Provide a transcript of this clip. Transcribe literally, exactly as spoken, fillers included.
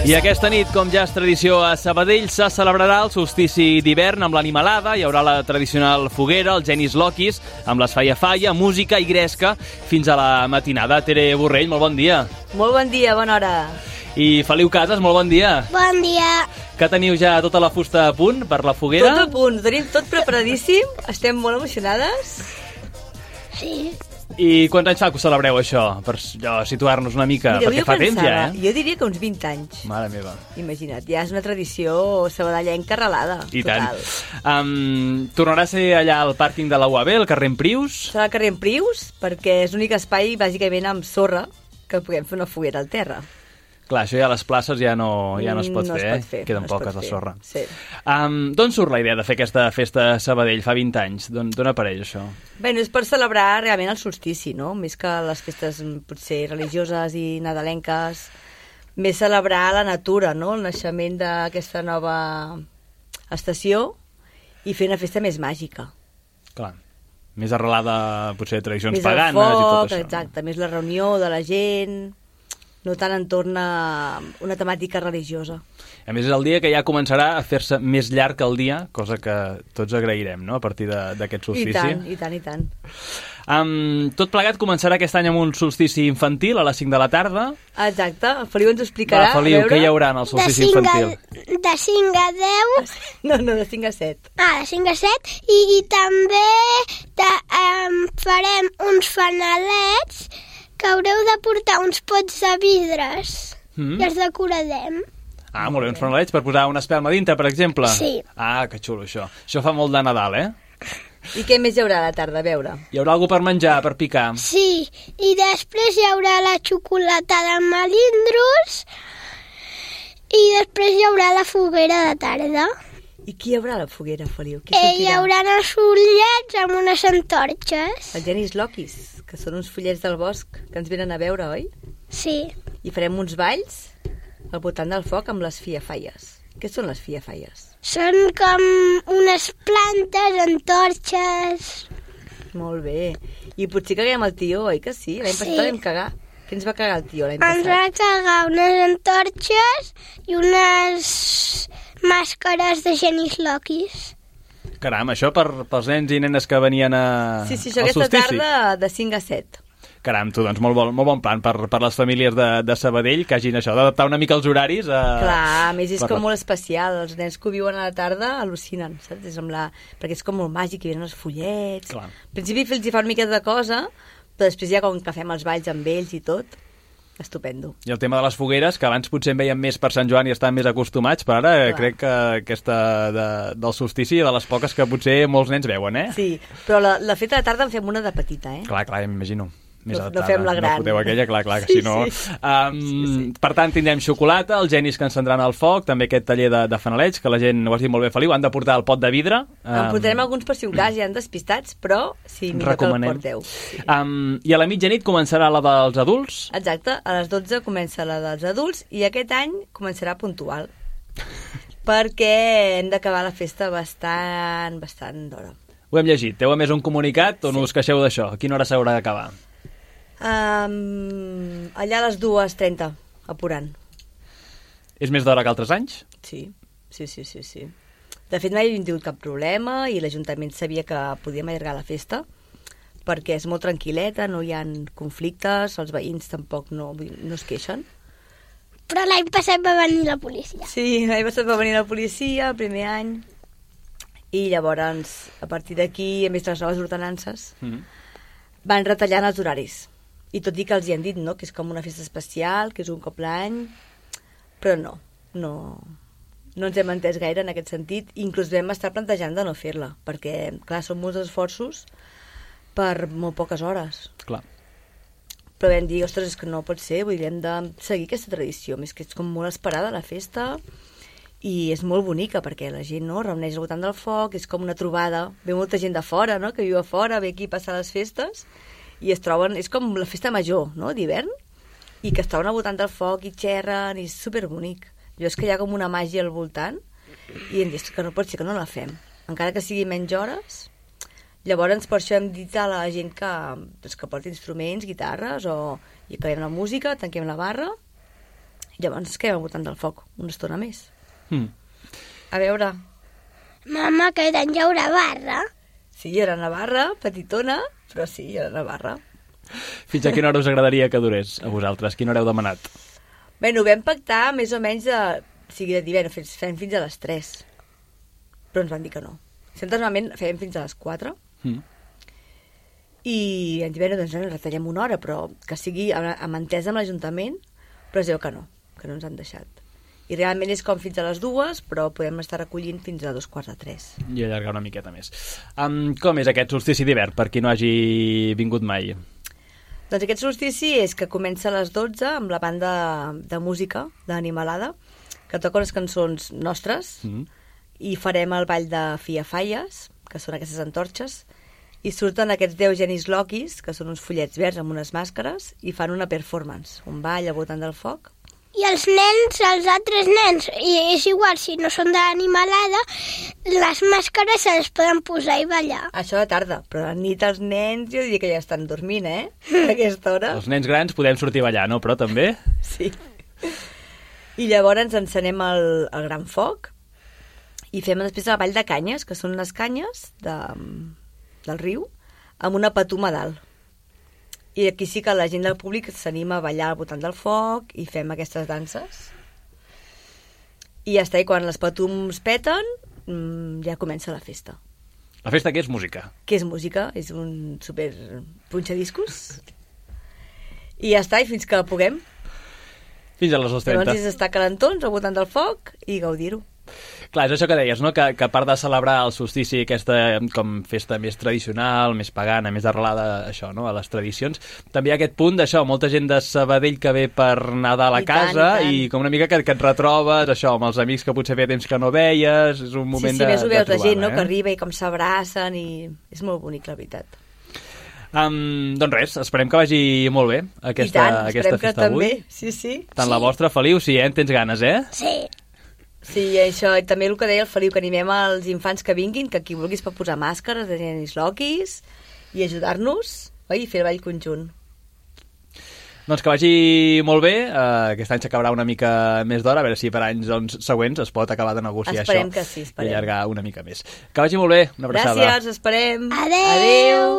I aquesta nit, com ja és tradició a Sabadell, se celebrarà el solstici d'hivern amb l'animalada, hi haurà la tradicional foguera, el Genis Loquis, amb les Falla Falla, música i gresca fins a la matinada. Tere Borrell, molt bon dia. Molt bon dia, bona hora. I Feliu Casas, molt bon dia. Bon dia. Que teniu ja tota la fusta a punt per la foguera? Tot a punt, ho tenim tot preparadíssim, estem molt emocionades. Sí. I quants anys fa que ho celebreu, això? Per allò, situar-nos una mica, Mira, perquè fa temps ja, eh? Jo diria que uns vint anys. Mare meva. Imagina't, ja és una tradició sabadellenca arrelada. I total. tant. Um, tornarà a ser allà al pàrquing de la U A B, al carrer Emprius? Serà al carrer Emprius, perquè és l'únic espai, bàsicament, amb sorra, que puguem fer una foguera al terra. Clar, això ja a les places ja no, ja no es pot no fer, es pot fer, eh? Queden no poques de sorra. Sí. Um, D'on surt la idea de fer aquesta festa a Sabadell fa vint anys? D'on apareix això? Bé, no és per celebrar realment el solstici, no? Més que les festes potser religioses i nadalenques, més celebrar la natura, no? El naixement d'aquesta nova estació i fer una festa més màgica. Clar, més arrelada potser a tradicions més paganes foc, i tot això. Exacte, més la reunió de la gent, no tant entorn a una temàtica religiosa. A més, és el dia que ja començarà a fer-se més llarg el dia, cosa que tots agrairem, no?, a partir d'aquest solstici. I tant, i tant, i tant. Um, tot plegat començarà aquest any amb un solstici infantil a les cinc de la tarda. Exacte, el Feliu ens ho explicarà. Va, Feliu, què hi haurà en el solstici infantil? A, de cinc a deu. No, no, de cinc a set. Ah, de cinc a set. I, i també de, um, farem uns fanalets que haureu de portar uns pots de vidres mm. i els decorarem. Ah, molt bé, uns fanalets per posar una espelma dintre, per exemple? Sí. Ah, que xulo, això. Això fa molt de Nadal, eh? I què més hi haurà a la tarda, a veure? Hi haurà alguna per menjar, per picar? Sí, i després hi haurà la xocolatada amb melindros i després hi haurà la foguera de tarda. I qui hi haurà a la foguera, Feliu? Qui eh, hi haurà els ullets amb unes antorxes. Els Genis Loquis, que són uns follets del bosc que ens venen a veure, oi? Sí. I farem uns balls al voltant del foc amb les fiafalles. Què són les fiafalles? Són com unes plantes, antorxes. Molt bé. I potser caguem el tió, oi que sí? L'any Sí. passat vam cagar. Què ens va cagar el tió l'any Ens va passat? cagar unes antorxes i unes màscares de Genis Loquis. Caram, això per, pels nens i nenes que venien a, Sí, sí, això al aquesta solstici. tarda de cinc a set. Caram, tu, doncs molt bon, molt bon plan per, per les famílies de, de Sabadell, que hagin això, d'adaptar una mica els horaris. A, Clar, a més és per com la- molt especial. Els nens que ho viuen a la tarda al·lucinen, saps? És amb la... Perquè és com molt màgic, hi venen els follets. Clar. Al principi els hi fa una mica de cosa, però després ja com que fem els balls amb ells i tot, estupendo. I el tema de les fogueres, que abans potser en veiem més per Sant Joan i estan més acostumats, però ara Clar. crec que aquesta de, del solstici de les poques que potser molts nens veuen, eh? Sí, però la, la feta de tarda en fem una de petita, eh? Clar, clar, ja m'imagino. Més No- no adaptada. fem la gran. No foteu aquella, clar, clar, que Sí, si no... sí. Um, Sí, sí. Per tant, tindrem xocolata, els genis que encendran el foc, també aquest taller de, de fanalets, que la gent, ho has dit molt bé, Feliu, han de portar el pot de vidre. En portarem alguns per si un cas, ja han despistats, però sí, millor que el recomanem. porteu. Sí. Um, I a la mitjanit començarà la dels adults. Exacte, a les dotze comença la dels adults i aquest any començarà puntual. Perquè hem d'acabar la festa bastant, bastant d'hora. Ho hem llegit. Heu a més un comunicat on Sí. us queixeu d'això. A quina hora s'haurà d'acabar? Um, allà a les dues trenta, apurant. És més d'hora que altres anys? Sí, sí, sí, sí, sí. De fet, mai hem tingut cap problema i l'Ajuntament sabia que podíem allargar la festa perquè és molt tranquil·leta, no hi ha conflictes, els veïns tampoc no, no es queixen. Però l'any passat va venir la policia. Sí, l'any passat va venir la policia, el primer any, i llavors, a partir d'aquí, a més de les noves ordenances, Mm. van retallant els horaris. I tot i que els hi han dit, no?, que és com una festa especial, que és un cop l'any, però no, no, no ens hem entès gaire en aquest sentit. Inclús vam estar plantejant de no fer-la, perquè, clar, són molts esforços per molt poques hores. Clar. Però vam dir, ostres, és que no pot ser, vull dir, hem de seguir aquesta tradició, més que és com molt esperada la festa, i és molt bonica, perquè la gent, no?, reuneix al voltant del foc, és com una trobada, ve molta gent de fora, no?, que viu a fora, ve aquí a passar les festes, i es troben, és com la festa major, no?, d'hivern, i que es troben al voltant del foc i xerren, i és superbonic. Jo és que hi ha com una màgia al voltant, i hem dit que no pot ser que no la fem, encara que sigui menys hores. Llavors, per això hem dit a la gent que, doncs, que porti instruments, guitarres, o i acabem la música, tanquem la barra, Llavors ens quedem al voltant del foc una estona més. Mm. A veure... Mama, que d'en hi haurà barra. Sí, hi haurà una barra, petitona, però sí, hi haurà una barra. Fins a quina hora us agradaria que durés a vosaltres? Quina hora heu demanat? Bé, ho vam pactar més o menys de... O sigui, de divendres, fem fins a les tres. Però ens van dir que no. Sempre normalment fem fins a les quatre. Mm. I en divendres doncs, ens retallem una hora, però que sigui amb entesa amb l'Ajuntament, però es diu que no, que no ens han deixat. I realment és com fins a les dues, però podem estar recollint fins a dos quarts de tres. I allargar una miqueta més. Um, com és aquest solstici d'hivern, per qui no hagi vingut mai? Doncs aquest solstici és que comença a les dotze amb la banda de música d'Animalada, que toca unes cançons nostres, mm. i farem el ball de Fiafalles, que són aquestes antorxes, i surten aquests deu genis loquis, que són uns fullets verds amb unes màscares, i fan una performance, un ball al voltant del foc. I els nens, els altres nens, i és igual, si no són d'Animalada, les màscares se les poden posar i ballar. Això de tarda, però a la nit els nens jo diria que ja estan dormint, eh? A aquesta hora. Els nens grans podem sortir a ballar, no? Però també? Sí. I llavors ens encenem el, el gran foc i fem després el ball de canyes, que són les canyes de, del riu, amb una patuma dalt. I aquí sí que la gent del públic s'anima a ballar al voltant del foc i fem aquestes danses. I ja està, i quan les patums peten, ja comença la festa. La festa què és música? Què és música? És un super punxadiscos. I ja està, i fins que puguem. Fins a les dos trenta. Llavors és estar calentons al voltant del foc i gaudir-ho. Clar, és això que deies, no? Que, que a part de celebrar el solstici, aquesta com festa més tradicional, més pagana, més arrelada això, no? A les tradicions, també hi ha aquest punt d'això, molta gent de Sabadell que ve per Nadal a I casa tant, i, tant. I com una mica que, que et retrobes, això, amb els amics que potser feia temps que no veies, és un moment sí, sí, de, més ho veus, de la gent, no? eh? Que arriba i com s'abracen i és molt bonic, la veritat. Um, doncs res, esperem que vagi molt bé aquesta, I tant, aquesta festa avui. També. Sí, sí. Tant sí. La vostra, Feliu, sí, eh? En tens ganes, eh? Sí. Sí, això, i també el que deia el Feliu, que animem als infants que vinguin, que qui vulguis pot posar màscares de genis loquis i ajudar-nos, oi? I fer el ball conjunt. Doncs que vagi molt bé, uh, aquest any s'acabarà una mica més d'hora, a veure si per anys doncs, següents es pot acabar de negociar esperem això que sí, esperem. I allargar una mica més. Que vagi molt bé, una abraçada. Gràcies, esperem. Adeu. Adeu.